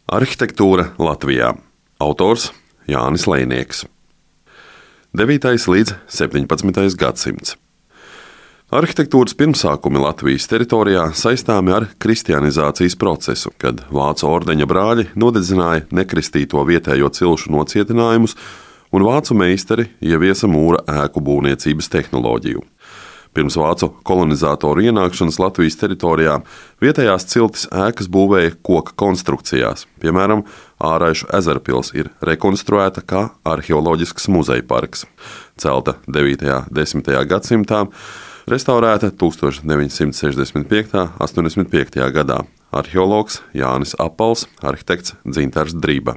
Arhitektūra Latvijā. Autors Jānis Lejnieks. 9. līdz 17. gadsimts. Arhitektūras pirmsākumi Latvijas teritorijā saistāmi ar kristianizācijas procesu, kad vācu ordeņa brāļi nodedzināja nekristīto vietējo cilšu nocietinājumus un vācu meistari ieviesa mūra ēku būvniecības tehnoloģiju. Pirms vācu kolonizatoru ienākšanas Latvijas teritorijā vietējās ciltis ēkas būvēja koka konstrukcijās. Piemēram, Āraišu ezerpils ir rekonstruēta kā arheoloģisks muzeja parks. Celta 9. un 10. gadsimtā, restaurēta 1965. un 85. gadā. Arheologs Jānis Apals, arhitekts Dzintars Driba.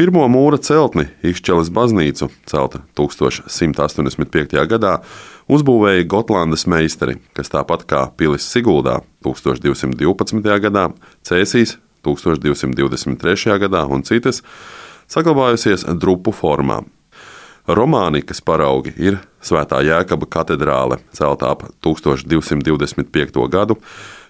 Pirmo mūra celtni Ikšķeles baznīcu, celta 1185. gadā, uzbūvēja Gotlandes meistari, kas tāpat kā pilis Siguldā 1212. gadā, Cēsīs 1223. gadā un citas, saglabājusies drupu formā. Romānikas paraugi ir Svētā Jēkaba katedrāle, celta ap 1225. gadu,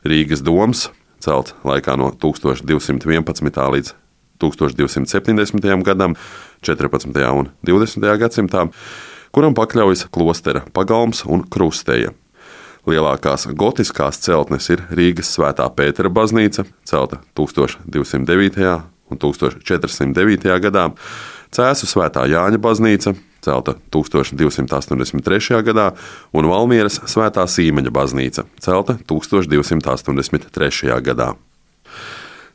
Rīgas doms, celts laikā no 1211. līdz 1270. gadam, 14. un 20. gadsimtā, kuram pakļaujas klostera pagalms un krusteja. Lielākās gotiskās celtnes ir Rīgas Svētā Pētera baznīca, celta 1209. un 1409. gadā, Cēsu Svētā Jāņa baznīca, celta 1283. gadā, un Valmieras Svētā Sīmeņa baznīca, celta 1283. gadā.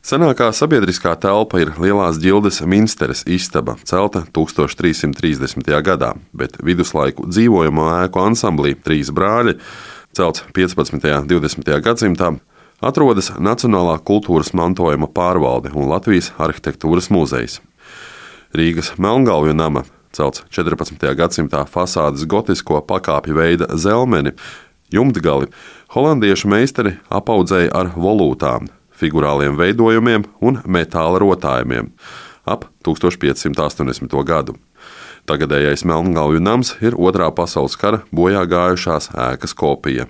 Senākā sabiedriskā telpa ir Lielās ģildes Minsteres istaba, celta 1330. gadā, bet viduslaiku dzīvojamo ēku ansamblī Trīs brāļi, celts 15. un 20. gadsimtā, atrodas Nacionālā kultūras mantojuma pārvalde un Latvijas arhitektūras muzejs. Rīgas Melngalvju nama, celts 14. gadsimtā, fasādes gotisko pakāpju veida zelmeni, jumtgali, holandiešu meistari apaudzēja ar volūtām, figurāliem veidojumiem un metāla rotājumiem ap 1580. gadu. Tagadējais Melngalvju nams ir Otrā pasaules kara bojā gājušās ēkas kopija,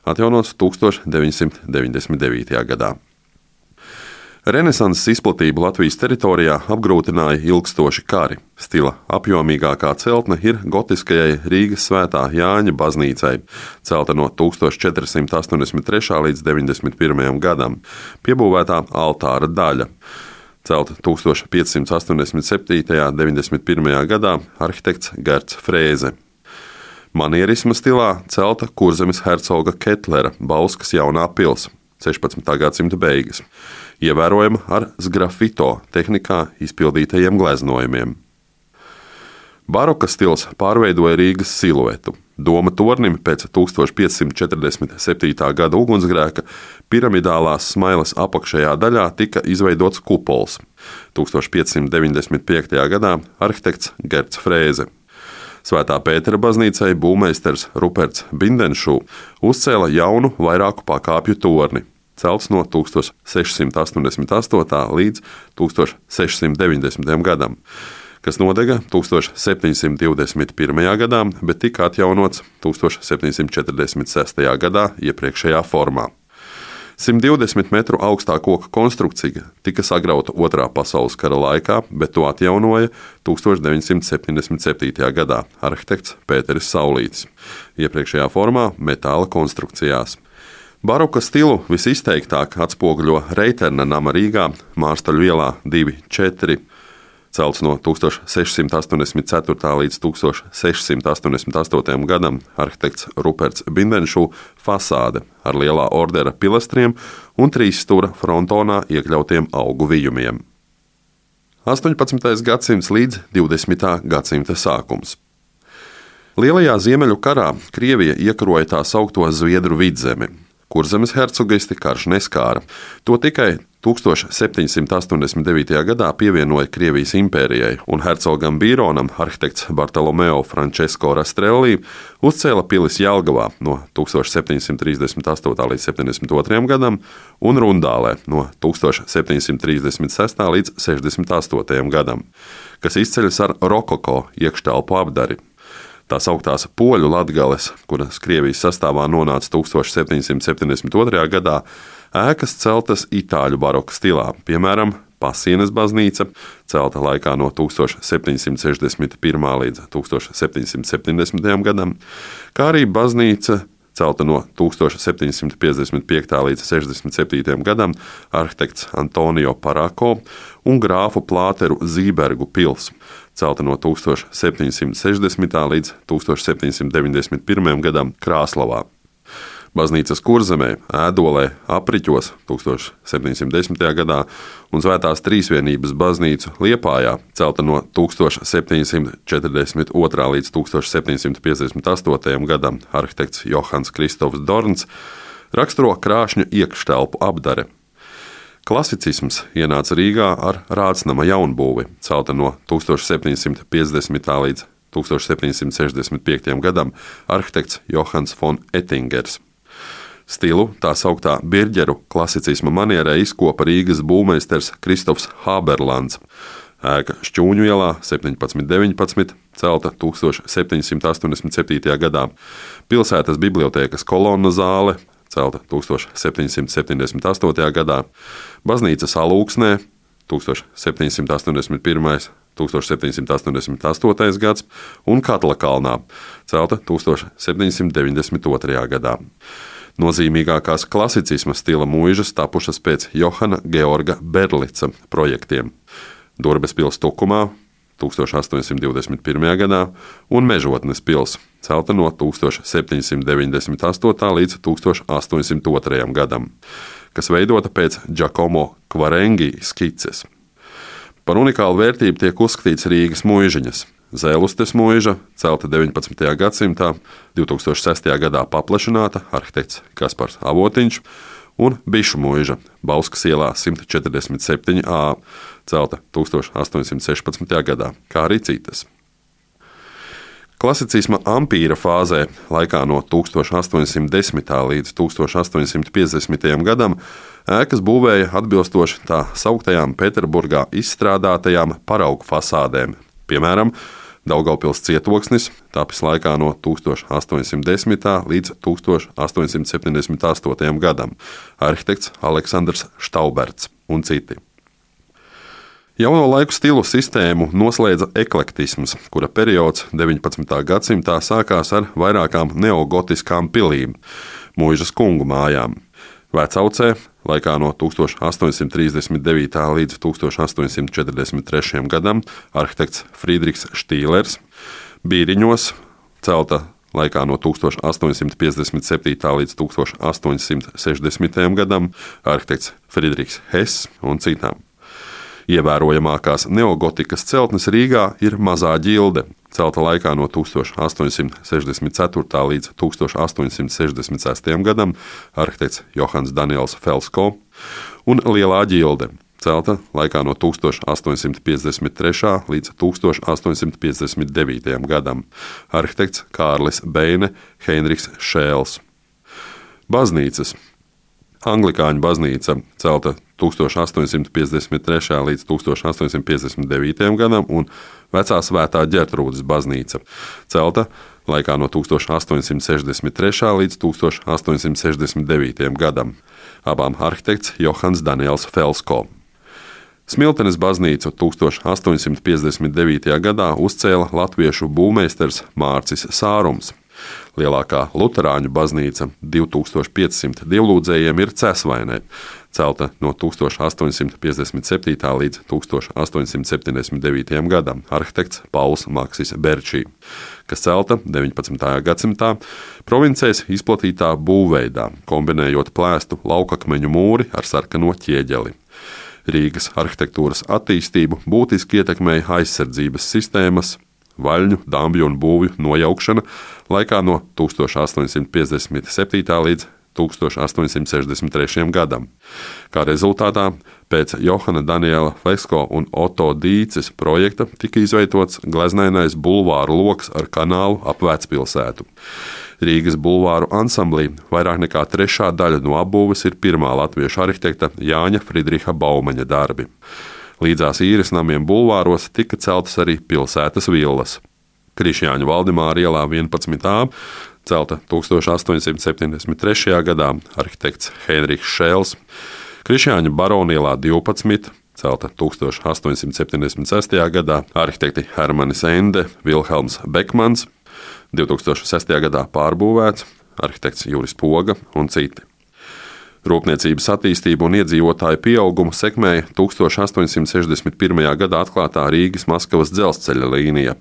atjaunots 1999. gadā. Renesanses izplatību Latvijas teritorijā apgrūtināja ilgstoši kari. Stila apjomīgākā celtne ir gotiskajai Rīgas Svētā Jāņa baznīcai, celta no 1483. līdz 91. gadam, piebūvētā altāra daļa. Celta 1587. un 91. gadā arhitekts Gerts Frēze. Manierisma stilā celta Kurzemes hercoga Ketlera Bauskas jaunā pils, 16. gadsimta beigas, ievērojama ar sgrafito tehnikā izpildītajiem gleznojumiem. Baroka stils pārveidoja Rīgas siluetu. Doma tornim pēc 1547. gada ugunsgrēka piramidālās smailes apakšējā daļā tika izveidots kupols. 1595. gadā arhitekts Gerts Frēze. Svētā Pētera baznīcai būvmeistars Ruperts Bindenšu uzcēla jaunu vairāku pakāpju torni, celts no 1688. līdz 1690. gadam, kas nodega 1721. gadā, bet tika atjaunots 1746. gadā iepriekšējā formā. 120 metru augstā koka konstrukcija tika sagrauta Otrā pasaules kara laikā, bet to atjaunoja 1977. gadā arhitekts Pēteris Saulītis, iepriekšējā formā metāla konstrukcijās. Baroka stilu visizteiktāk atspoguļo Reiterna nama Rīgā, Mārstaļu ielā 2-4, celts no 1684. līdz 1688. gadam arhitekts Ruperts Bindenšu fasāde ar lielā ordera pilastriem un 3 stūra frontonā iekļautiem augu vijumiem. 18. gadsimts līdz 20. gadsimta sākums. Lielajā Ziemeļu karā Krievija iekaroja tā saukto Zviedru vidzemi. Kurzemes hercogisti karš neskāra. To tikai 1789. gadā pievienoja Krievijas impērijai, un hercogam Bīronam arhitekts Bartolomeo Francesco Rastrelli uzcēla pilis Jelgavā no 1738. līdz 72. gadam un Rundālē no 1736. līdz 68. gadam, kas izceļas ar rokoko iekštelpu apdari. Tās augtās poļu Latgales, kuras Krievijas sastāvā nonāca 1772. gadā, ēkas celtas itāļu baroka stilā, piemēram, Pasienes baznīca, celta laikā no 1761. līdz 1770. gadam, kā arī baznīca celta no 1755. līdz 67. gadam arhitekts Antonio Parako un grāfu Plāteru Zībergu pils, celta no 1760. līdz 1791. gadam Krāslavā. Baznīcas Kurzemē, Ēdolē, Apriķos 1710. gadā un Svētās Trīsvienības baznīcu Liepājā, celta no 1742. līdz 1758. gadam arhitekts Johans Kristofs Dorns, raksturo krāšņu iekštelpu apdare. Klasicisms ienāca Rīgā ar Rācnama jaunbūvi, celta no 1750. līdz 1765. gadam arhitekts Johans von Ettingers. Stilu tā sauktā birģeru klasicisma manierē izkopa Rīgas būvmeistars Kristofs Hāberlands. Ēka Šķūņu ielā 1719, celta 1787. gadā, pilsētas bibliotēkas kolonna zāle, celta 1778. gadā, baznīcas Alūksnē 1781. 1788. gads un Katlakalnā, celta 1792. gadā. Nozīmīgākās klasicisma stila mūžas tapušas pēc Johana Georga Berlica projektiem. Durbes pils Tukumā 1821. gadā un Mežotnes pils, celta no 1798. līdz 1802. gadam, kas veidota pēc Giacomo Quarengi skices. Par unikālu vērtību tiek uzskatīts Rīgas mūžiņas. Zēlustes mūža, celta 19. gadsimtā, 2006. gadā paplašināta arhitekts Kaspars Avotiņš, un Bišu mūža, Bauskas ielā 147a, celta 1816. gadā, kā arī citas. Klasicisma ampīra fāzē laikā no 1810. līdz 1850. gadam ēkas būvēja atbilstoši tā sauktajām Pēterburgā izstrādātajām paraugu fasādēm, piemēram, Daugavpils cietoksnis, tapis laikā no 1810. līdz 1878. gadam, arhitekts Aleksandrs Štauberts un citi. Jauno laiku stilu sistēmu noslēdza eklektisms, kura periods 19. gadsimtā sākās ar vairākām neogotiskām pilīm, mūžas kungu mājām. Vecaucē laikā no 1839. līdz 1843. gadam arhitekts Friedrichs Štīlers, Bīriņos, celta laikā no 1857. līdz 1860. gadam arhitekts Friedrichs Hess un citām. Ievērojamākās neogotikas celtnes Rīgā ir Mazā ģilde, celta laikā no 1864. līdz 1866. gadam arhitekts Johans Daniels Felsko, un Lielā ģilde, celta laikā no 1853. līdz 1859. gadam arhitekts Kārlis Beine, Heinrichs Šēls. Baznīcas. Anglikāņu baznīca, celta 1853. līdz 1859. gadam, un Vecā Svētā Ģertrūdes baznīca, celta laikā no 1863. līdz 1869. gadam, abām arhitekts Johans Daniels Felsko. Smiltenes baznīcu 1859. gadā uzcēla latviešu būvmeistars Mārcis Sārums. Lielākā luterāņu baznīca 2500 dievlūdzējiem ir Cēsvainē, celta no 1857. līdz 1879. gadam, arhitekts Pauls Maksis Berčī, kas celta 19. gadsimtā provincēs izplatītā būvveidā, kombinējot plēstu laukakmeņu mūri ar sarkano ķieģeli. Rīgas arhitektūras attīstību būtiski ietekmēja aizsardzības sistēmas, vaļņu, dambju un būvju nojaukšana laikā no 1857. līdz 1863. gadam. Kā rezultātā pēc Johana Daniela Felsko un Oto Dīces projekta tika izveidots gleznainais bulvāru loks ar kanālu ap Vecpilsētu. Rīgas bulvāru ansamblī vairāk nekā trešā daļa no apbūves ir pirmā latviešu arhitekta Jāņa Friedriha Baumaņa darbi. Līdzās īres namiem bulvāros tika celtas arī pilsētas villas. Krišjāņu Valdemāra ielā 11a, celta 1873. gadā, arhitekts Heinrichs Šēls, Krišjāņu Baronielā 12, celta 1876. gadā, arhitekti Hermanis Ende, Vilhelms Bekmans, 2006. gadā pārbūvēts, arhitekts Juris Poga un citi. Rūpniecības attīstību un iedzīvotāju pieaugumu sekmēja 1861. gadā atklātā Rīgas-Maskavas dzelzceļa līnija.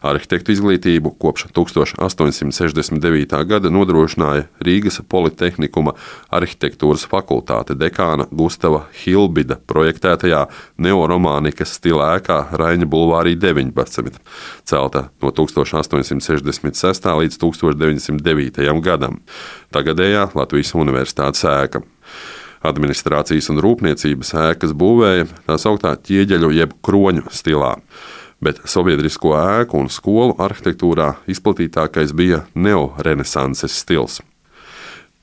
Arhitektu izglītību kopš 1869. gada nodrošināja Rīgas Politehnikuma arhitektūras fakultāte dekāna Gustava Hilbida projektētajā neoromānikas stila ēkā Raņa bulvārī 19, celta no 1866. līdz 1909. gadam, tagadējā Latvijas Universitātes ēka. Administrācijas un rūpniecības ēkas būvēja tā sauktā ķieģeļu jeb kroņu stilā, bet sabiedrisko ēku un skolu arhitektūrā izplatītākais bija neorenesanses stils.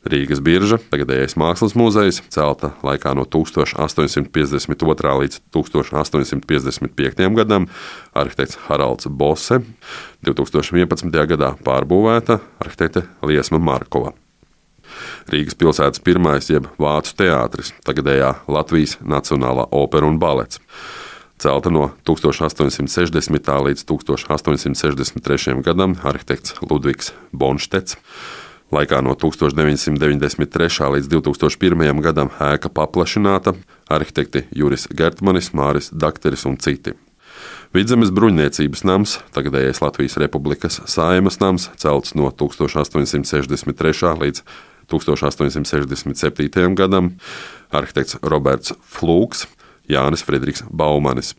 Rīgas birža, tagadējais Mākslas muzejs, celta laikā no 1852. līdz 1855. gadam, arhitekts Haralds Bose, 2011. gadā pārbūvēta arhitekte Liesma Markova. Rīgas pilsētas pirmais jeb Vācu teātris, tagadējā Latvijas Nacionālā opera un balets, celta no 1860. līdz 1863. gadam, arhitekts Ludvigs Bonštets. Laikā no 1993. līdz 2001. gadam ēka paplašināta, arhitekti Juris Gertmanis, Māris Dakteris un citi. Vidzemes bruņniecības nams, tagadējais Latvijas Republikas Saeimas nams, celts no 1863. līdz 1867. gadam, arhitekts Roberts Flūks, Jānis Friedrichs Baumanis.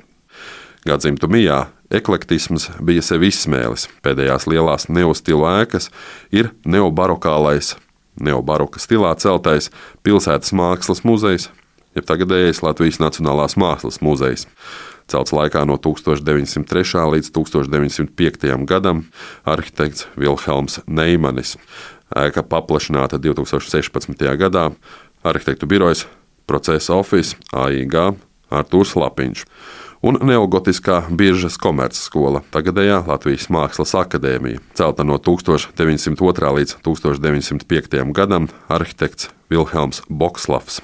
Gadsimtu mijā eklektisms bija sevi izsmēlis. Pēdējās lielās neostilu ēkas ir neobarokālais, neobaroka stilā celtais Pilsētas mākslas muzejs, jeb tagadējais Latvijas Nacionālās mākslas muzejs, celts laikā no 1903. līdz 1905. gadam, arhitekts Vilhelms Neimanis. Ēka paplašināta 2016. gadā, arhitektu birojas Procesa Office, AIG, Artūrs Lapiņš un neogotiskā Biržas komercskola, tagadējā Latvijas Mākslas akadēmija, celta no 1902. līdz 1905. gadam, arhitekts Vilhelms Bokslavs.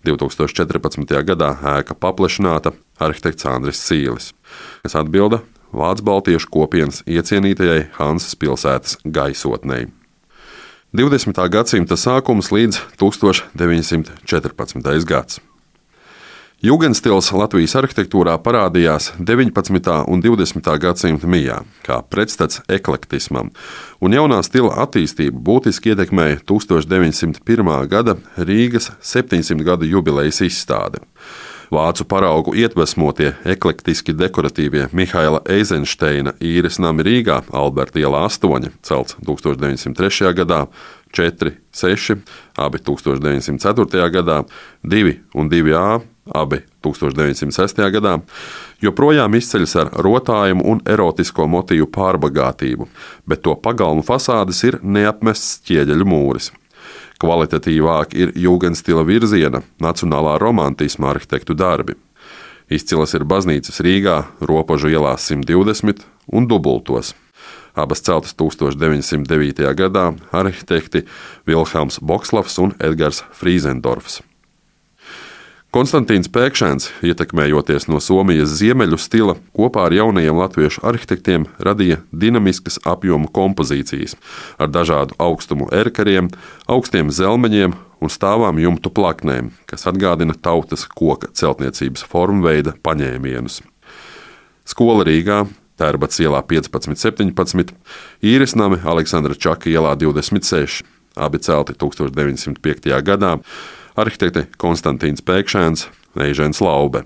2014. gadā ēka paplašināta, arhitekts Andris Sīlis, kas atbilda Vācu baltiešu kopienas iecienītajai Hansas pilsētas gaisotnei. 20. gadsimta sākums līdz 1914. gads. Jugendstils Latvijas arhitektūrā parādījās 19. un 20. gadsimta mijā, kā pretstats eklektismam, un jaunā stila attīstību būtiski ietekmēja 1901. gada Rīgas 700 gadu jubilejas izstāde. Vācu paraugu iedvesmotie eklektiski dekoratīvie Mihaila Eizenšteina īres nami Rīgā, Alberta ielā 8, celts 1903. gadā, 4, 6, abi 1904. gadā, 2 un 2A, abi 1906. gadā, joprojām izceļas ar rotājumu un erotisko motīvu pārbagātību, bet to pagalmu fasādes ir neapmests ķieģeļu mūris. Kvalitatīvāk ir jūgendstila virziena, nacionālā romantisma arhitektu darbi. Izcilas ir baznīcas Rīgā, Ropožu ielā 120 un Dubultos. Abas celtas 1909. gadā, arhitekti Vilhelms Bokslavs un Edgars Frīzendorfs. Konstantīns Pēkšēns, ietekmējoties no Somijas ziemeļu stila, kopā ar jaunajiem latviešu arhitektiem radīja dinamiskas apjomu kompozīcijas ar dažādu augstumu erkariem, augstiem zelmeņiem un stāvām jumtu plaknēm, kas atgādina tautas koka celtniecības formveida paņēmienus. Skola Rīgā, Tērbats ielā 15-17, īres nami Aleksandra Čaka ielā 26, abi celti 1905. gadā, arhitekti Konstantīns Pēkšēns, Eižens Laube.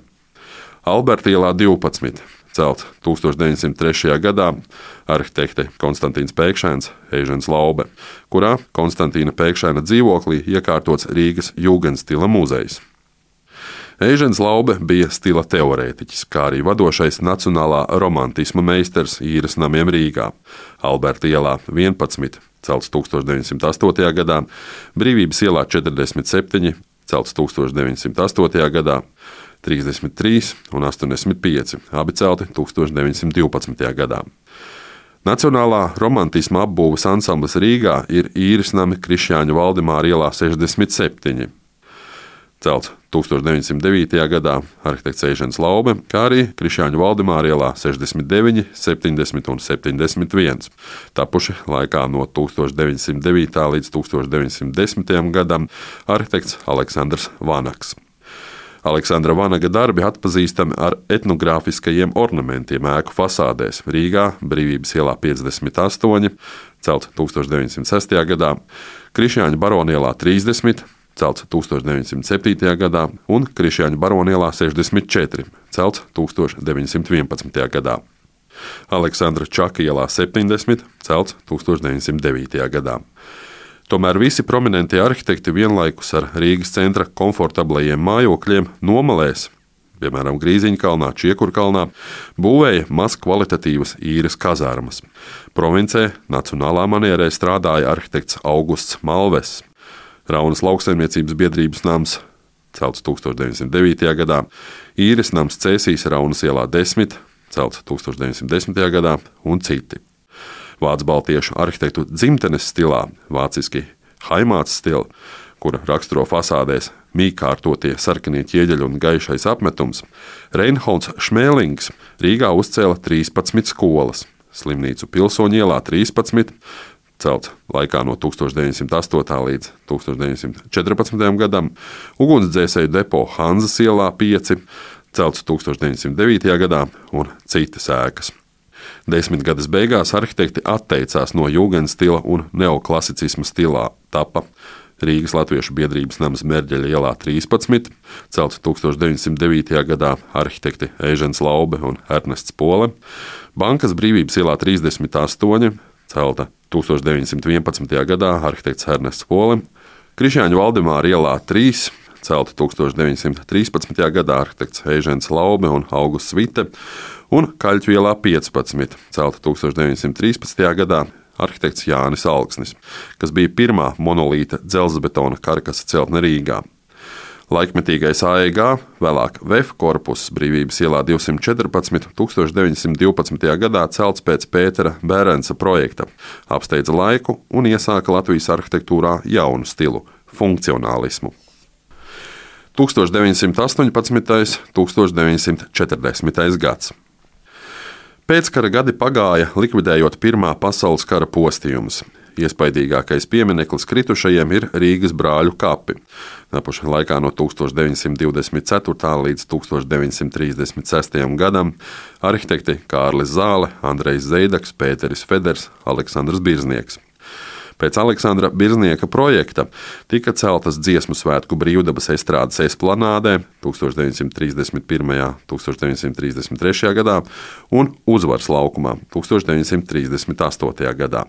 Alberta ielā 12, celt 1903. gadā, arhitekti Konstantīns Pēkšēns, Eižens Laube, kurā Konstantīna Pēkšēna dzīvoklī iekārtots Rīgas jūgendstila muzejs. Eižens Laube bija stila teorētiķis, kā arī vadošais nacionālā romantisma meistars īres namiem Rīgā, Alberta ielā 11, celts 1908. gadā, Brīvības ielā 47, celts 1908. gadā, 33 un 85, abi celti 1912. gadā. Nacionālā romantisma apbūves ansamblis Rīgā ir īres nami Krišjāņu Valdemāra ielā 67. celts 1909. gadā arhitekts Eižens Laube, kā arī Krišjāņu Valdemāra ielā 69, 70 un 71, tapuši laikā no 1909. līdz 1910. gadam arhitekts Aleksandrs Vanaks. Aleksandra Vanaga darbi atpazīstami ar etnogrāfiskajiem ornamentiem ēku fasādēs Rīgā, Brīvības ielā 58, celts 1906. gadā, Krišjāņu Barona ielā 30, celts 1907. gadā un Krišjāņu Barona ielā 64, celts 1911. gadā. Aleksandra Čaka ielā 70, celts 1909. gadā. Tomēr visi prominentie arhitekti vienlaikus ar Rīgas centra komfortablajiem mājokļiem nomalēs, piemēram, Grīziņkalnā, Čiekurkalnā, būvēja maz kvalitatīvas īres kazārmas. Provincē nacionālā manierē strādāja arhitekts Augusts Malves. Raunas lauksaimniecības biedrības nams, celts 1909. gadā, īres nams Cēsīs Raunas ielā 10, celts 1910. gadā un citi. Vācu baltiešu arhitektu dzimtenes stilā, vāciski haimāts stila, kura raksturo fasādēs mīkārtotie sarkanie ķieģeļi un gaišais apmetums, Reinholds Šmēlings Rīgā uzcēla 13 skolas, slimnīcu Pilsoņu ielā 13, celts laikā no 1908. līdz 1914. gadam, ugunsdzēsēju depo Hanzas ielā 5, celts 1909. gadā un citas ēkas. Desmitgades beigās arhitekti atteicās no jūgenstila un neoklasicisma stilā. Tapa Rīgas Latviešu biedrības nams Mērģeļa ielā 13, celts 1909. gadā arhitekti Eižens Laube un Ernests Pole, Bankas Brīvības ielā 38, celta 1911. gadā arhitekts Ernests Pole, Krišjāņu Valdemāra ielā 3, celta 1913. gadā arhitekts Eižens Laube un Augusts Vite, un Kaļķu ielā 15, celta 1913. gadā arhitekts Jānis Alksnis, kas bija pirmā monolīta dzelzbetona karkasa celtne Rīgā. Laikmetīgais AEG, vēlāk VF korpuss Brīvības ielā 214, 1912. gadā celts pēc Pētera Bērensa projekta, apsteidza laiku un iesāka Latvijas arhitektūrā jaunu stilu – funkcionālismu. 1918. 1940. gads. Pēckara gadi pagāja, likvidējot Pirmā pasaules kara postījumus. Iespaidīgākais piemineklis kritušajiem ir Rīgas brāļu kapi. Tapuši laikā no 1924. līdz 1936. gadam arhitekti Kārlis Zāle, Andrejs Zeidaks, Pēteris Feders, Aleksandrs Birznieks. Pēc Aleksandra Birznieka projekta tika celtas Dziesmu svētku brīvdabas estrādes esplanādē 1931. 1933. gadā un Uzvaras laukumā 1938. gadā.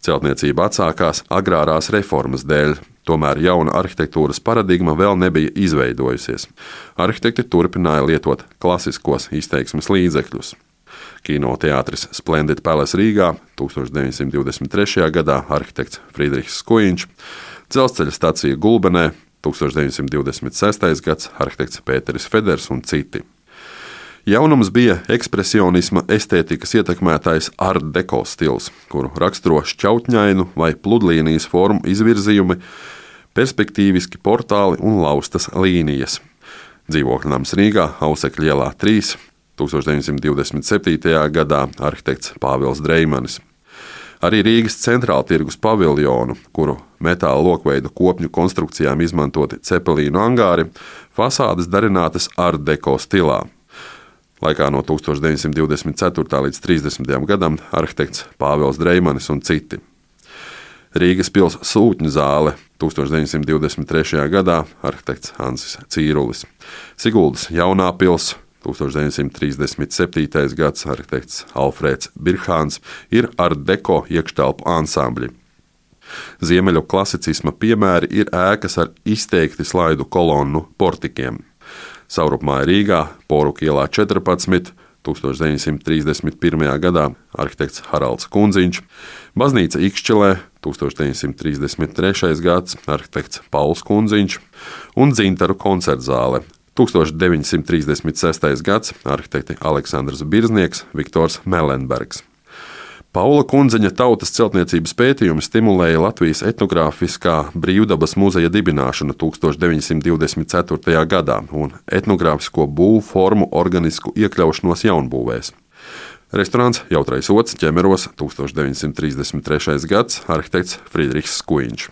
Celtniecība atsākās agrārās reformas dēļ, tomēr jauna arhitektūras paradigma vēl nebija izveidojusies. Arhitekti turpināja lietot klasiskos izteiksmes līdzekļus. Kinoteātris Splendid Palace Rīgā 1923. gadā arhitekts Friedrichs Skujiņš, dzelzceļa stacija Gulbenē 1926. gads arhitekts Pēteris Feders un citi. Jaunums bija ekspresionisma estētikas ietekmētais art deko stils, kuru raksturo šķautņainu vai pludlīnijas formu izvirzījumi, perspektīviski portāli un laustas līnijas. Dzīvokļnams Rīgā, Ausekļa ielā 3, 1927. gadā arhitekts Pāvils Dreimanis. Arī Rīgas centrāla tirgus paviljonu, kuru metāla lokveidu kopņu konstrukcijām izmantoti cepelīnu angāri, fasādes darinātas art deko stilā. Laikā no 1924. līdz 30. gadam arhitekts Pāvils Dreimanis un citi. Rīgas pils sūtņu zāle 1923. gadā arhitekts Hansis Cīrulis. Siguldas jaunā pils 1937. gads arhitekts Alfrēds Birhāns ir art deko iekštelpu ansambļi. Ziemeļu klasicisma piemēri ir ēkas ar izteikti slaidu kolonnu portikiem. Saurupmāja Rīgā, Poruka ielā 14, 1931. gadā arhitekts Haralds Kundziņš, baznīca Ikšķelē 1933. gads arhitekts Pauls Kundziņš un Dzintaru koncertzāle 1936. gads arhitekti Aleksandrs Birznieks, Viktors Melenbergs. Paula Kundziņa tautas celtniecības pētījumi stimulēja Latvijas etnogrāfiskā brīvdabas muzeja dibināšanu 1924. gadā un etnogrāfisko būvu formu organisku iekļaušanos jaunbūvēs. Restorāns Jautrais ods Ķemeros 1933. gads, arhitekts Friedrichs Skuiņš.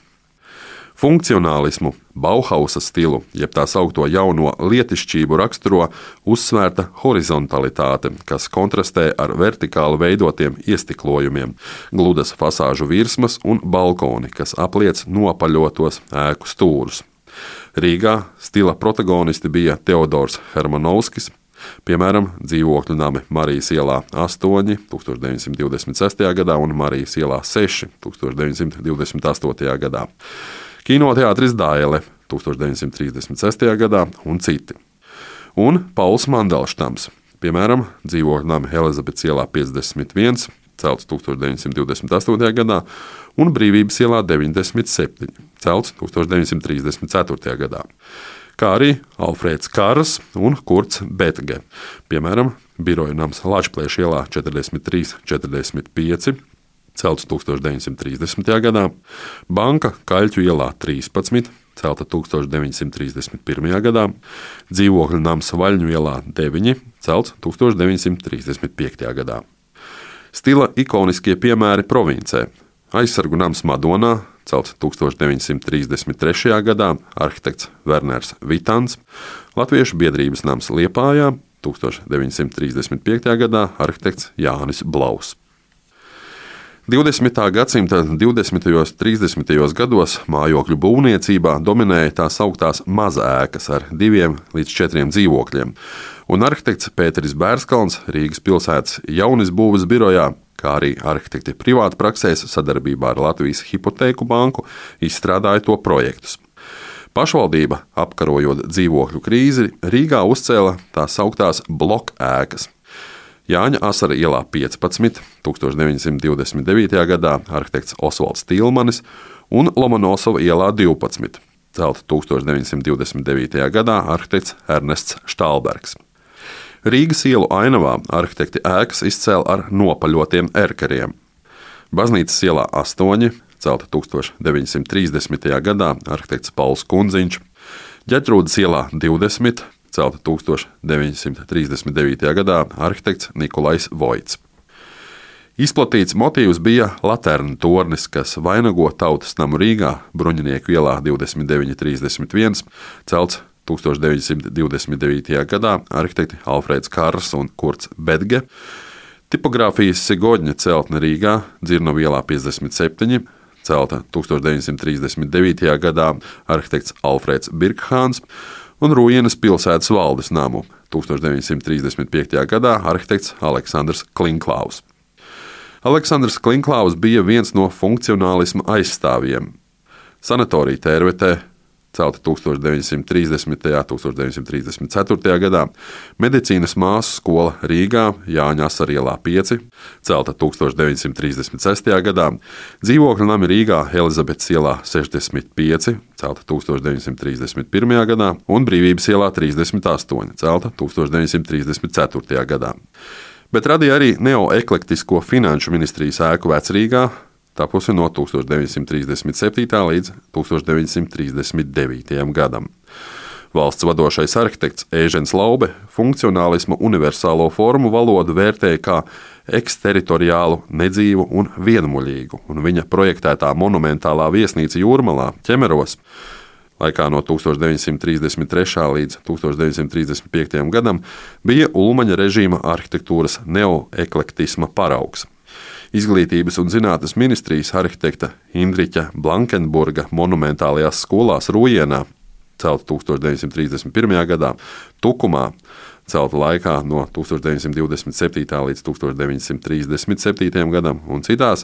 Funkcionālismu, Bauhausa stilu, jeb tā saukto jauno lietišķību raksturo uzsvērta horizontalitāte, kas kontrastē ar vertikāli veidotiem iestiklojumiem, gludas fasāžu virsmas un balkoni, kas apliec nopaļotos ēku stūrus. Rīgā stila protagonisti bija Teodors Hermanovskis, piemēram, dzīvokļu nami Marijas ielā 8, 1926. gadā un Marijas ielā 6, 1928. gadā. Kinoteātris Daile 1936. gadā un citi. Un Pauls Mandelštams, piemēram, dzīvokļu nami Elizabetes ielā 51, celts 1928. gadā, un Brīvības ielā 97, celts 1934. gadā. Kā arī Alfrēds Kārs un Kurts Betge, piemēram, biroja nams Lačplēša ielā 43-45, celts 1930. gadā, banka Kaļķu ielā 13, celta 1931. gadā, dzīvokļu nams Vaļņu ielā 9, celts 1935. gadā. Stila ikoniskie piemēri provincē. Aizsargu nams Madonā, celts 1933. gadā, arhitekts Werners Vitans, Latviešu biedrības nams Liepājā, 1935. gadā, arhitekts Jānis Blaus. 20. gadsimta 20. un 30. gados mājokļu būvniecībā dominēja tās augtās mazēkas ar 2 līdz 4 dzīvokļiem, un arhitekts Pēteris Bērskalns Rīgas pilsētas jaunizbūves birojā, kā arī arhitekti privātpraksēs sadarbībā ar Latvijas hipotēku banku, izstrādāja to projektus. Pašvaldība, apkarojot dzīvokļu krīzi, Rīgā uzcēla tās augtās blokēkas. Jāņa Asara ielā 15, 1929. gadā, arhitekts Osvalds Tilmanis, un Lomonosova ielā 12, celta 1929. gadā, arhitekts Ernests Štālbergs. Rīgas ielu ainavā arhitekti ēkas izcēla ar nopaļotiem erkeriem. Baznīcas ielā 8, celta 1930. gadā, arhitekts Pauls Kundziņš, Ģetrūdas ielā 20, celta 1939. gadā, arhitekts Nikolais Voits. Izplatīts motīvs bija laterna tornis, kas vainago Tautas namu Rīgā, Bruņinieku ielā 29-31, celts 1929. gadā, arhitekti Alfrēds Kārs un Kurts Betge. Tipogrāfijas Sigodņa celtne Rīgā, Dzirnavu ielā 57, celta 1939. gadā, arhitekts Alfrēds Birkhāns, un Rujienas pilsētas valdes namu 1935. gadā, arhitekts Aleksandrs Klinklaus. Aleksandrs Klinklaus bija viens no funkcionālisma aizstāvjiem. Sanatorija Tērvetē, celta 1930. un 1934. gadā, medicīnas māsu skola Rīgā, Jāņa Asara ielā 5, celta 1936. gadā, dzīvokļu nami Rīgā, Elizabetes ielā 65, celta 1931. gadā, un Brīvības ielā 38, celta 1934. gadā. Bet radīja arī neoeklektisko finanšu ministrijas ēku Vecrīgā, tapusi no 1937. līdz 1939. gadam. Valsts vadošais arhitekts Ēžens Laube funkcionālisma universālo formu valodu vērtēja kā eksteritoriālu, nedzīvu un vienmuļīgu, un viņa projektētā monumentālā viesnīca Jūrmalā, Ķemeros, laikā no 1933. līdz 1935. gadam, bija Ulmaņa režīma arhitektūras neoeklektisma paraugs. Izglītības un zinātnes ministrijas arhitekta Indriķa Blankenburga monumentālajās skolās Rujienā, celta 1931. gadā, Tukumā, celta laikā no 1927. līdz 1937. gadam, un citās,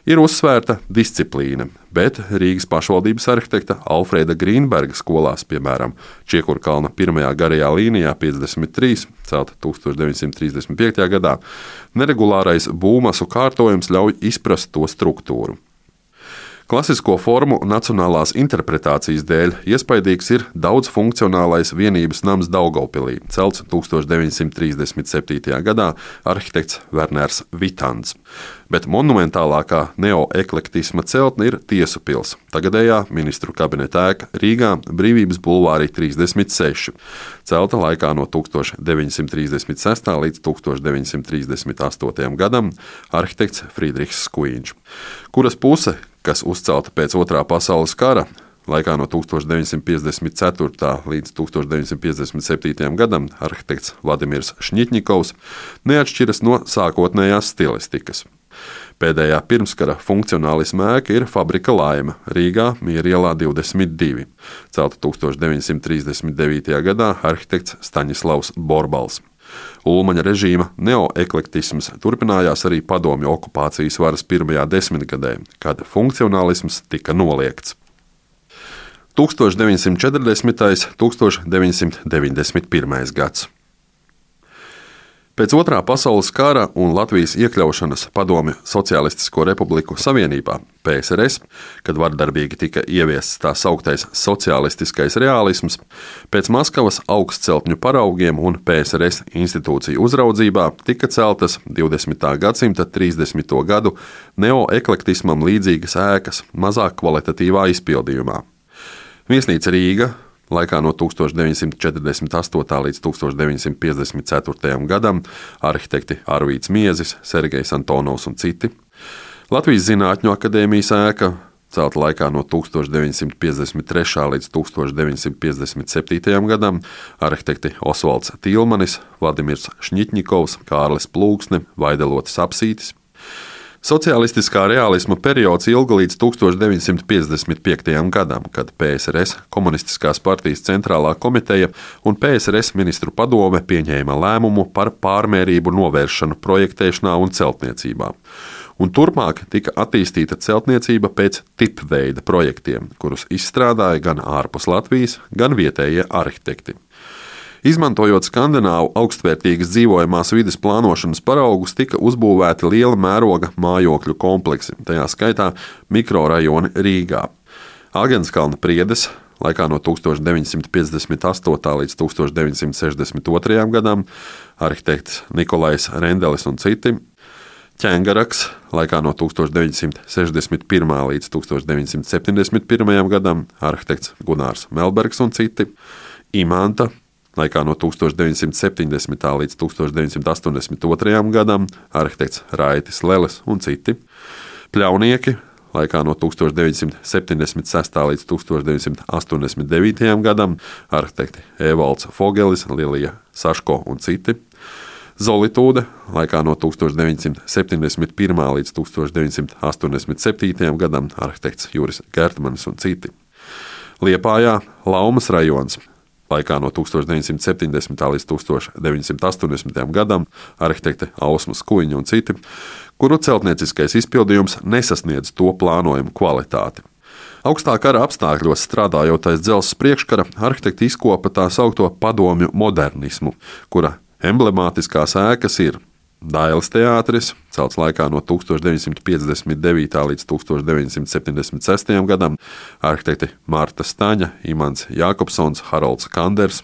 ir uzsvērta disciplīna, bet Rīgas pašvaldības arhitekta Alfrēda Grīnberga skolās, piemēram, Čiekurkalna 1. garajā līnijā 53, celta 1935. gadā, neregulārais būvmasu kārtojums ļauj izprast to struktūru. Klasisko formu nacionālās interpretācijas dēļ iespaidīgs ir daudzfunkcionālais vienības nams Daugavpilī, celts 1937. gadā arhitekts Werners Vitants. Bet monumentālākā neoeklektisma celtne ir Tiesu pils, tagadējā ministru kabineta ēka Rīgā, Brīvības bulvārī 36, celta laikā no 1936. līdz 1938. gadam arhitekts Friedrichs Skuiņš, kuras puse, kas uzcelta pēc Otrā pasaules kara, laikā no 1954. līdz 1957. gadam arhitekts Vladimirs Šņitņikovs, neatšķiras no sākotnējās stilistikas. Pēdējā pirmskara funkcionālisma ēka ir Fabrika Laime Rīgā, Miera ielā 22, celta 1939. gadā arhitekts Staņislavs Borbals. Ulmaņa režīma neoeklektisms turpinājās arī padomju okupācijas varas pirmajā desmitgadē, kad funkcionālisms tika noliegts. 1940. un 1991. gads. Pēc Otrā pasaules kara un Latvijas iekļaušanas Padomju Socialistisko Republiku Savienībā, PSRS, kad vardarbīgi tika ieviests tā sauktais socialistiskais reālisms, pēc Maskavas augstceltņu paraugiem un PSRS institūciju uzraudzībā tika celtas 20. gadsimta 30. gadu neoeklektismam līdzīgas ēkas mazāk kvalitatīvā izpildījumā. Viesnīca Rīga laikā no 1948. līdz 1954. gadam arhitekti Arvīds Miezis, Sergejs Antonovs un citi. Latvijas Zinātņu akadēmijas ēka celta laikā no 1953. līdz 1957. gadam arhitekti Osvalds Tīlmanis, Vladimirs Šņitņikovs, Kārlis Plūksne, Vaidelotis Apsītis. Socialistiskā reālisma periods ilga līdz 1955. gadam, kad PSRS Komunistiskās partijas centrālā komiteja un PSRS ministru padome pieņēma lēmumu par pārmērību novēršanu projektēšanā un celtniecībā. Un turpmāk tika attīstīta celtniecība pēc tipveida projektiem, kurus izstrādāja gan ārpus Latvijas, gan vietējie arhitekti. Izmantojot skandināvu augstvērtīgas dzīvojamās vides plānošanas paraugus, tika uzbūvēti liela mēroga mājokļu kompleksi, tajā skaitā mikrorajoni Rīgā. Agenskalna priedes laikā no 1958. līdz 1962. gadam arhitekts Nikolais Rendelis un citi, Ķengaraks laikā no 1961. līdz 1971. gadam arhitekts Gunārs Melbergs un citi, Imanta laikā no 1970. līdz 1982. gadam arhitekts Raitis Leles un citi, Pļaunieki laikā no 1976. līdz 1989. gadam arhitekti Evalds Fogelis, Lilija Saško un citi, Zolitūde laikā no 1971. līdz 1987. gadam arhitekts Juris Gertmanis un citi, Liepājā Laumas rajons laikā no 1970. līdz 1980. gadam arhitekte Ausma Skuiņa un citi, kuru celtnieciskais izpildījums nesasniedz to plānojumu kvalitāti. Augstā kara apstākļos strādājot aiz dzelzs priekškara, arhitekti izkopa tā saukto padomju modernismu, kura emblemātiskās ēkas ir Dailes teātris, celts laikā no 1959. līdz 1976. gadam, arhitekti Marta Staņa, Imants Jākopsons, Harolds Kanders,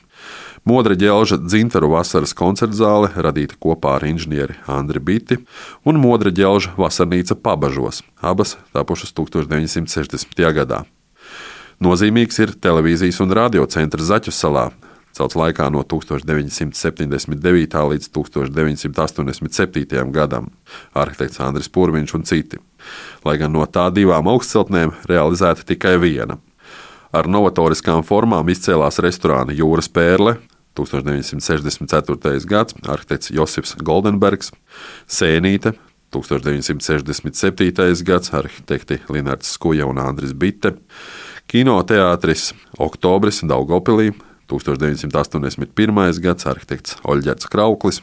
Modra ģelža Dzintaru vasaras koncertzāle, radīta kopā ar inženieri Andri Biti, un Modra ģelža vasarnīca Pabažos, abas tapušas 1960. gadā. Nozīmīgs ir televīzijas un radiocentrs Zaķu salā, celts laikā no 1979. līdz 1987. gadam, arhitekts Andris Purviņš un citi, lai gan no tā divām augstceltnēm realizēta tikai viena. Ar novatoriskām formām izcēlās restorāna Jūras Pērle, 1964. gads, arhitekts Josifs Goldenbergs, Sēnīte, 1967. gads, arhitekti Linards Skuja un Andris Bitte, Kinoteātris Oktobris Daugavpilī, 1981. gads, arhitekts Oļģerts Krauklis,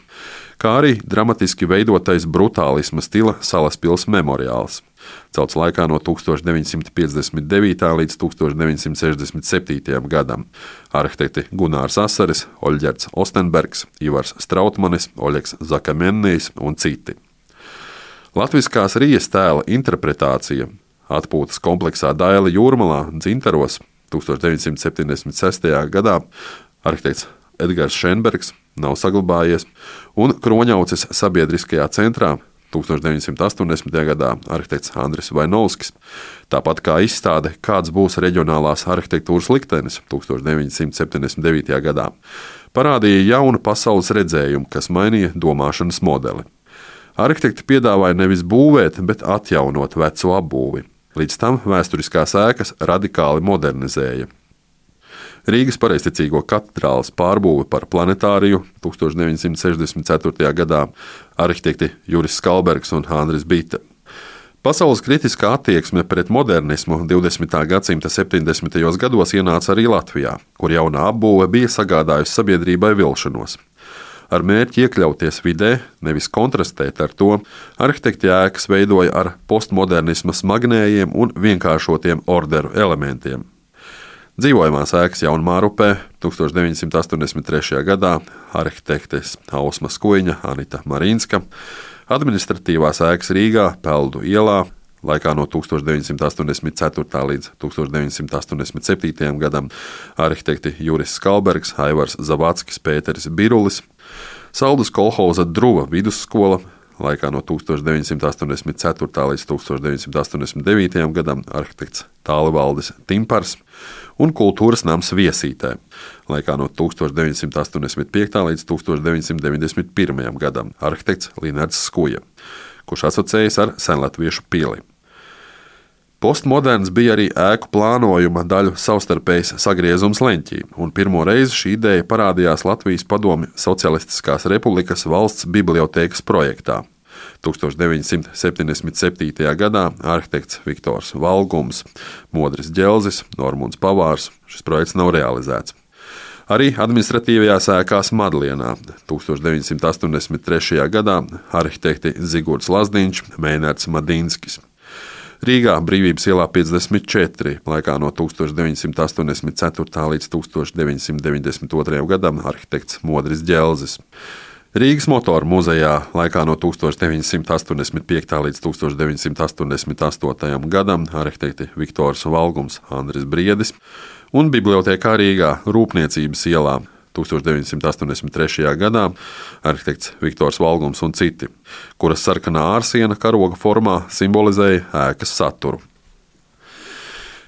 kā arī dramatiski veidotais brutālisma stila Salaspils memoriāls, celts laikā no 1959. līdz 1967. gadam, arhitekti Gunārs Asaris, Oļģerts Ostenbergs, Ivars Strautmanis, Oļegs Zakamennijs un citi. Latviskās rijas tēla interpretācija Atpūtas kompleksā Daila Jūrmalā, Dzintaros 1976. gadā arhitekts Edgars Šenbergs nav saglabājies, un Kroņauces sabiedriskajā centrā 1980. gadā arhitekts Andris Vainovskis, tāpat kā izstāde Kāds būs reģionālās arhitektūras liktenis 1979. gadā, parādīja jaunu pasaules redzējumu, kas mainīja domāšanas modeli. Arhitekti piedāvāja nevis būvēt, bet atjaunot veco apbūvi. Līdz tam vēsturiskās ēkas radikāli modernizēja. Rīgas Pareizticīgo katedrāles pārbūve par planetāriju 1964. gadā arhitekti Juris Skalbergs un Andris Bita. Pasaules kritiskā attieksme pret modernismu 20. gadsimta 70. gados ienāca arī Latvijā, kur jaunā apbūve bija sagādājusi sabiedrībai vilšanos. Ar mērķi iekļauties vidē, nevis kontrastēt ar to, arhitekti ēkas veidoja ar postmodernisma smagnējiem un vienkāršotiem orderu elementiem. Dzīvojamās ēkas Jaunmārupē 1983. gadā arhitektes Ausma Skuiņa, Anita Marīnska, administratīvās ēkas Rīgā, Peldu ielā, laikā no 1984. līdz 1987. gadam arhitekti Juris Skalbergs, Aivars Zavackis, Pēteris Birulis, Saldus kolhoza Druva vidusskola, laikā no 1984. līdz 1989. gadam arhitekts Tālivaldis Timpars un kultūras nams Viesītē, laikā no 1985. līdz 1991. gadam arhitekts Linards Skuja, kurš asociējas ar senlatviešu pili. Postmoderns bija arī ēku plānojuma daļu savstarpējs sagriezums leņķī, un pirmo reizi šī ideja parādījās Latvijas Padomju Socialistiskās Republikas valsts bibliotēkas projektā. 1977. gadā arhitekts Viktors Valgums, Modris Ģelzis, Normunds Pavārs. Šis projekts nav realizēts. Arī administratīvajās ēkās Madlienā 1983. gadā arhitekti Zigurds Lazdiņš, Meinards Madinskis. Rīgā Brīvības ielā 54, laikā no 1984. līdz 1992. gadam arhitekts Modris Ģelzis. Rīgas motoru muzejā laikā no 1985. līdz 1988. gadam arhitekti Viktors Valgums, Andris Briedis un bibliotēkā Rīgā Rūpniecības ielā 1983. gadā arhitekts Viktors Valgums un citi, kuras sarkanā ārsiena karoga formā simbolizēja ēkas saturu.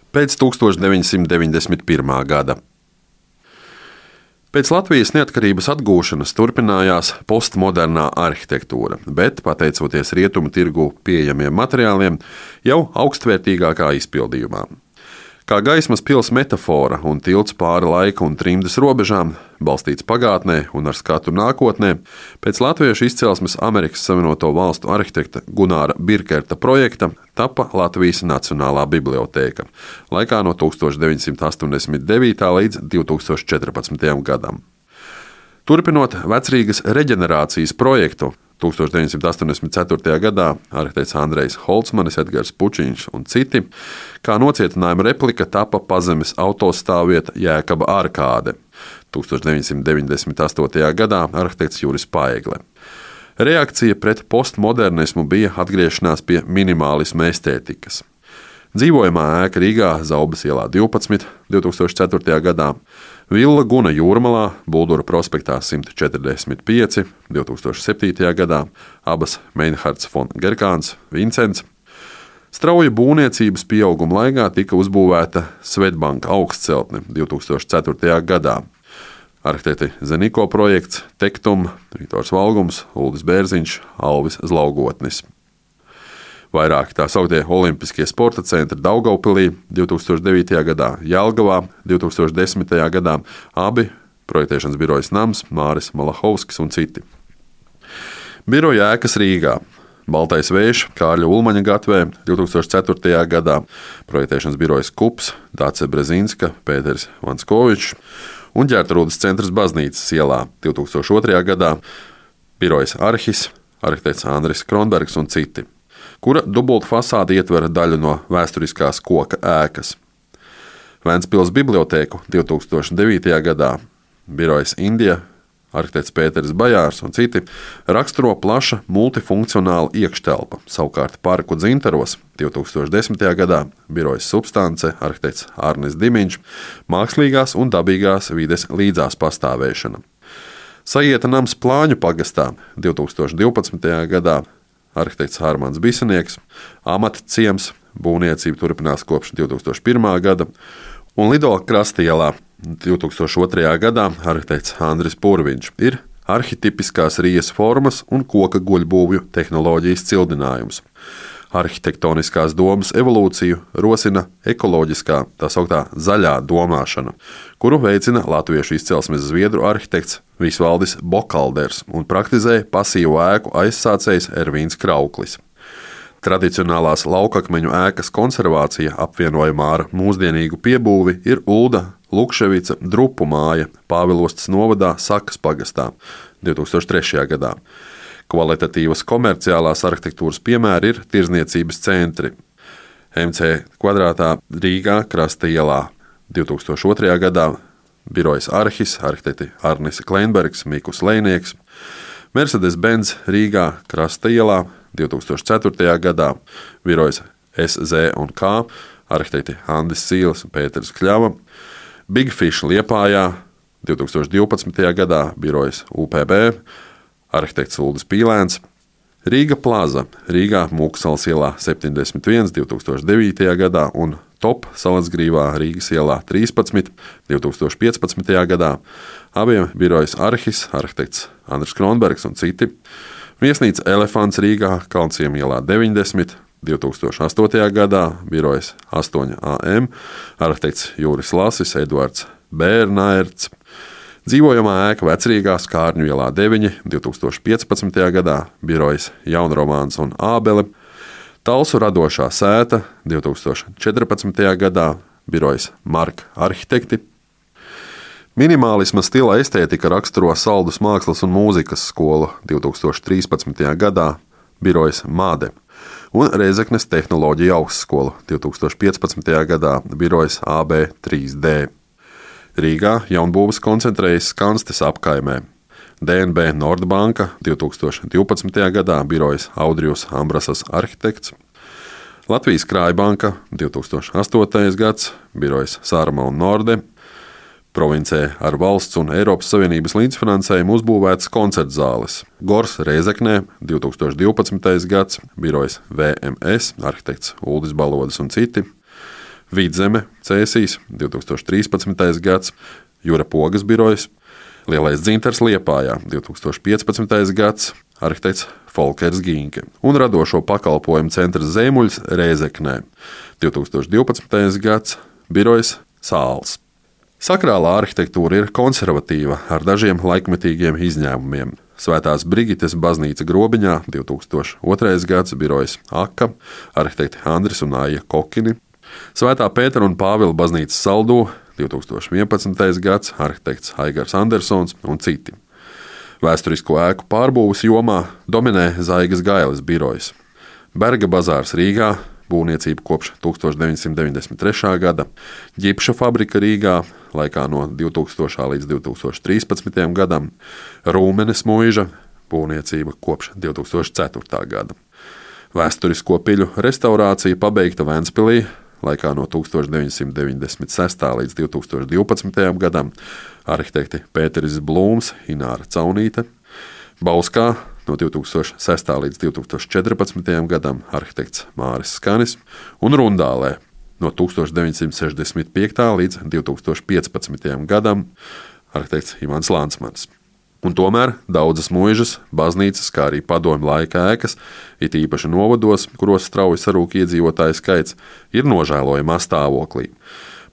Pēc 1991. gada. Pēc Latvijas neatkarības atgūšanas turpinājās postmodernā arhitektūra, bet, pateicoties rietumu tirgū pieejamiem materiāliem, jau augstvērtīgākā izpildījumā. Kā gaismas pils metafora un tilts pāri laika un trimdas robežām, balstīts pagātnē un ar skatu nākotnē, pēc latviešu izcelsmes Amerikas Savienoto Valstu arhitekta Gunāra Birkerta projekta tapa Latvijas Nacionālā bibliotēka laikā no 1989. līdz 2014. gadam. Turpinot Vecrīgas reģenerācijas projektu, 1984. gadā arhitekts Andrejs Holcmanis, Edgars Pučiņš un citi, kā nocietinājuma replika tapa pazemes autostāvvieta Jēkaba arkāde. 1998. gadā arhitekts Juris Paegle. Reakcija pret postmodernismu bija atgriešanās pie minimālisma estētikas. Dzīvojamā ēka Rīgā, Zaubas ielā 12, 2004. gadā, Villa Guna Jūrmalā, Buldura prospektā 145, 2007. gadā, abas Meinhards von Gerkāns, Vincents. Strauja būvniecības pieauguma laikā tika uzbūvēta Svetbanka augstceltne 2004. gadā. Arhitekti Zeniko projekts, Tektum, Viktors Valgums, Uldis Bērziņš, Alvis Zlaugotnis. Vairāki tā sauktie Olimpiskie sporta centri Daugavpilī 2009. gadā, Jelgavā 2010. gadā, abi projektēšanas birojas nams, Māris Malahovskis un citi. Biroja ēkas Rīgā, Baltais vējš, Kārļa Ulmaņa gatvē 2004. gadā, projektēšanas birojas Kups, Dace Brezinska, Pēteris Vanskovičs un Ģertrūdes centrs Baznīcas ielā 2002. gadā, birojas Arhis, arhitekts Andris Kronbergs un citi, kura dubulta fasāde ietver daļu no vēsturiskās koka ēkas. Ventspils bibliotēku 2009. gadā, birojas Indija, arhitekts Pēteris Bajārs un citi, raksturo plaša multifunkcionāla iekštelpa. Savukārt parku Dzintaros 2010. gadā birojas Substance, arhitekts Arnis Dimiņš, mākslīgās un dabīgās vides līdzās pastāvēšana. Sajieta nams Plāņu pagastā 2012. gadā arhitekts Hārmans Bisenieks, amata ciems, būvniecība turpinās kopš 2001. gada, un Lido Krastielā 2002. gadā arhitekts Andris Purviņš ir arhitipiskās rijas formas un koka guļbūvju tehnoloģijas cildinājums. Arhitektoniskās domas evolūciju rosina ekoloģiskā, tā sauktā zaļā domāšana, kuru veicina latviešu izcelsmes zviedru arhitekts Visvaldis Bokalders un praktizē pasīvu ēku aizsācējs Ervīns Krauklis. Tradicionālās laukakmeņu ēkas konservācija apvienojumā ar mūsdienīgu piebūvi ir Ulda Lukševica drupu māja Pāvilostas novadā Sakas pagastā 2003. gadā. Kvalitatīvas komerciālās arhitektūras piemēri ir tirzniecības centri. MC kvadrātā Rīgā Krasta ielā 2002. gadā birojas Arhis, arhitekti Arnis Kleinbergs, Mikus Lejnieks, Mercedes-Benz Rīgā Krasta ielā 2004. gadā birojas SZ&K, arhitekti Andis Sīles un Pēters Kļava, Big Fish Liepājā 2012. gadā birojas UPB, arhitekts Uldis Pīlēns, Rīga Plaza Rīgā Mūksalas ielā 71 2009. gadā un Top Salacgrīvā Rīgas ielā 13 2015. gadā, abiem birojas Arhis, arhitekts Andris Kronbergs un citi, viesnīca Elefants Rīgā Kalnciema ielā 90 2008. gadā, birojas 8AM, arhitekts Jūris Lasis, Eduards Bērnaerts, dzīvojamā ēka Vecrīgā Skārņu ielā 9 2015. gadā, birojas Jaunromāns un Ābele, Talsu radošā sēta 2014. gadā, birojas Marka arhitekti. Minimālisma stila estētika raksturo Saldus mākslas un mūzikas skolu 2013. gadā, birojas Māde, un Rēzeknes tehnoloģija augstskolu 2015. gadā, birojas AB3D. Rīgā jaunbūves koncentrējas Skanstes apkaimē. DNB Nordbanka 2012. gadā birojas Audrijus Ambrasas arhitekts. Latvijas Krājbanka 2008. gads birojas Sārma un Norde. Provincē ar valsts un Eiropas Savienības līdzfinansējumu uzbūvētas koncertzāles. Gors Rēzeknē 2012. gads birojas VMS, arhitekts Uldis Balodas un citi. Vidzeme Cēsīs 2013. gads, Jura Pogas birojas, Lielais Dzintars Liepājā 2015. gads, arhitekts Folkers Gīnke un radošo pakalpojumu centrs Zēmuļs Rēzeknē 2012. gads, birojas Sāls. Sakrālā arhitektūra ir konservatīva ar dažiem laikmetīgiem izņēmumiem. Svētās Brigites baznīca Grobiņā 2002. gads, birojas Aka, arhitekti Andris un Aija Kokini. Svētā Pētera un Pāvila baznīca Saldū 2011. gads, arhitekts Aigars Andersons un citi. Vēsturisko ēku pārbūves jomā dominē Zaigas Gailes birojas. Berga bazārs Rīgā, būvniecība kopš 1993. gada, ģipša fabrika Rīgā laikā no 2000. līdz 2013. gadam, Rūmenes mūža, būvniecība kopš 2004. gada. Vēsturisko piļu restaurācija pabeigta Ventspilī laikā no 1996. līdz 2012. gadam, arhitekti Pēteris Blūms, Ināra Caunīte, Bauskā no 2006. līdz 2014. gadam, arhitekts Māris Skanis un Rundālē no 1965. līdz 2015. gadam, arhitekts Ivans Lansmans. Un tomēr daudzas mūžas, baznīcas, kā arī padomju laika ēkas, it īpaši novados, kuros strauji sarūk iedzīvotāju skaits, ir nožēlojamā stāvoklī.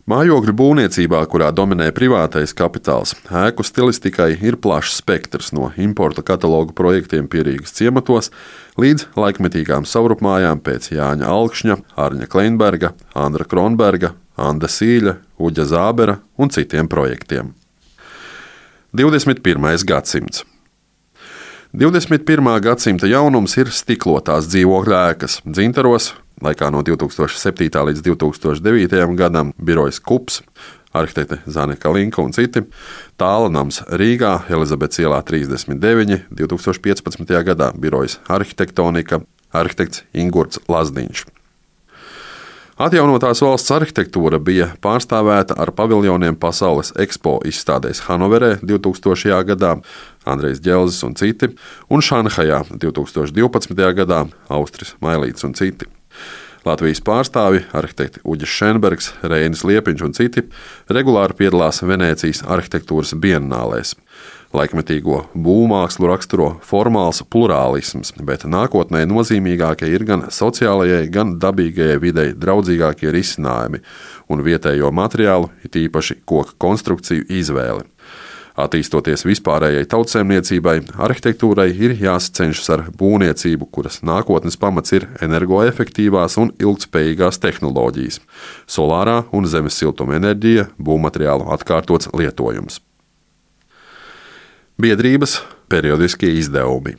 Mājokļu būvniecībā, kurā dominē privātais kapitāls, ēku stilistikai ir plašs spektrs no importa katalogu projektiem Pierīgas ciematos līdz laikmetīgām savrupmājām pēc Jāņa Alkšņa, Arņa Kleinberga, Andra Kronberga, Anda Sīļa, Uģa Zābera un citiem projektiem. 21. gadsimts. 21. gadsimta jaunums ir stiklotās dzīvokļu ēkas Dzintaros, laikā no 2007. līdz 2009. gadam birojas Kups, arhitekte Zane Kalinka un citi, Tāla nams Rīgā, Elizabetes ielā 39, 2015. gadā birojas Arhitektonika, arhitekts Ingurts Lazdiņš. Atjaunotās valsts arhitektūra bija pārstāvēta ar paviljoniem Pasaules Expo izstādēs Hanoverē 2000. gadā, Andrejs Ģelzis un citi, un Šanhajā 2012. gadā Austris Mailīts un citi. Latvijas pārstāvji, arhitekti Uģis Šenbergs, Reinis Liepiņš un citi regulāri piedalās Venēcijas arhitektūras biennālēs. Laikmetīgo būvmākslu raksturo formāls plurālisms, bet nākotnē nozīmīgākie ir gan sociālajai, gan dabīgajai videi draudzīgākie risinājumi un vietējo materiālu, it īpaši koka konstrukciju izvēle. Attīstoties vispārējai tautsēmniecībai, arhitektūrai ir jāsacenšas ar būvniecību, kuras nākotnes pamats ir energoefektīvās un ilgtspējīgās tehnoloģijas, solārā un zemes siltuma enerģija, būvmateriālu atkārtots lietojums. Biedrības periodiskie izdevumi.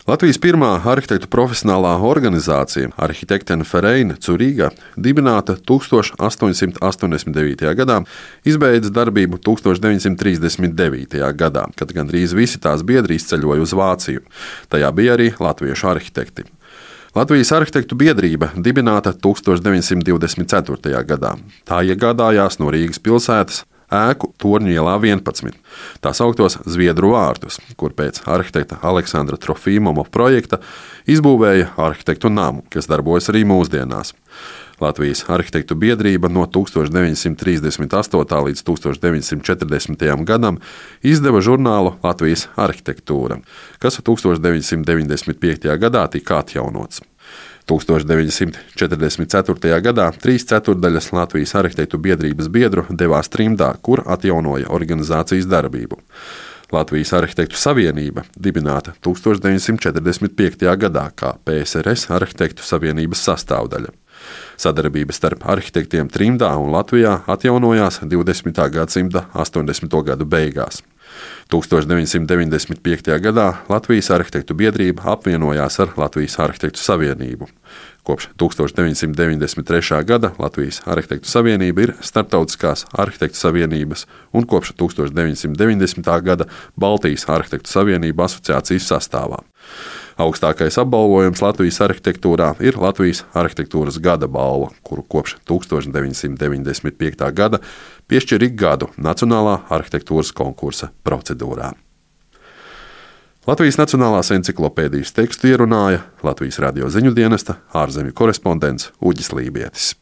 Latvijas pirmā arhitektu profesionālā organizācija Architekten Verein Zuriga, dibināta 1889. gadā, izbeidza darbību 1939. gadā, kad gandrīz visi tās biedri izceļoja uz Vāciju. Tajā bija arī latviešu arhitekti. Latvijas arhitektu biedrība dibināta 1924. gadā. Tā iegādājās no Rīgas pilsētas ēku Torņu ielā 11, tā sauktos Zviedru vārtus, kur pēc arhitekta Aleksandra Trofimova projekta izbūvēja arhitektu namu, kas darbojas arī mūsdienās. Latvijas arhitektu biedrība no 1938. līdz 1940. gadam izdeva žurnālu Latvijas arhitektūra, kas 1995. gadā tika atjaunots. 1944. gadā 3/4 Latvijas arhitektu biedrības biedru devās trimdā, kur atjaunoja organizācijas darbību. Latvijas arhitektu savienība dibināta 1945. gadā kā PSRS arhitektu savienības sastāvdaļa. Sadarbība starp arhitektiem trimdā un Latvijā atjaunojās 20. gadsimta 80. gadu beigās. 1995. gadā Latvijas arhitektu biedrība apvienojās ar Latvijas arhitektu savienību. Kopš 1993. gada Latvijas arhitektu savienība ir Starptautiskās arhitektu savienības un kopš 1990. gada Baltijas arhitektu savienība asociācijas sastāvā. Augstākais apbalvojums Latvijas arhitektūrā ir Latvijas arhitektūras gada balva, kuru kopš 1995. gada piešķir ik gadu Nacionālā arhitektūras konkursa procedūrā. Latvijas Nacionālās enciklopēdijas tekstu ierunāja Latvijas radio ziņu dienesta ārzemju korespondents Uģis Lībietis.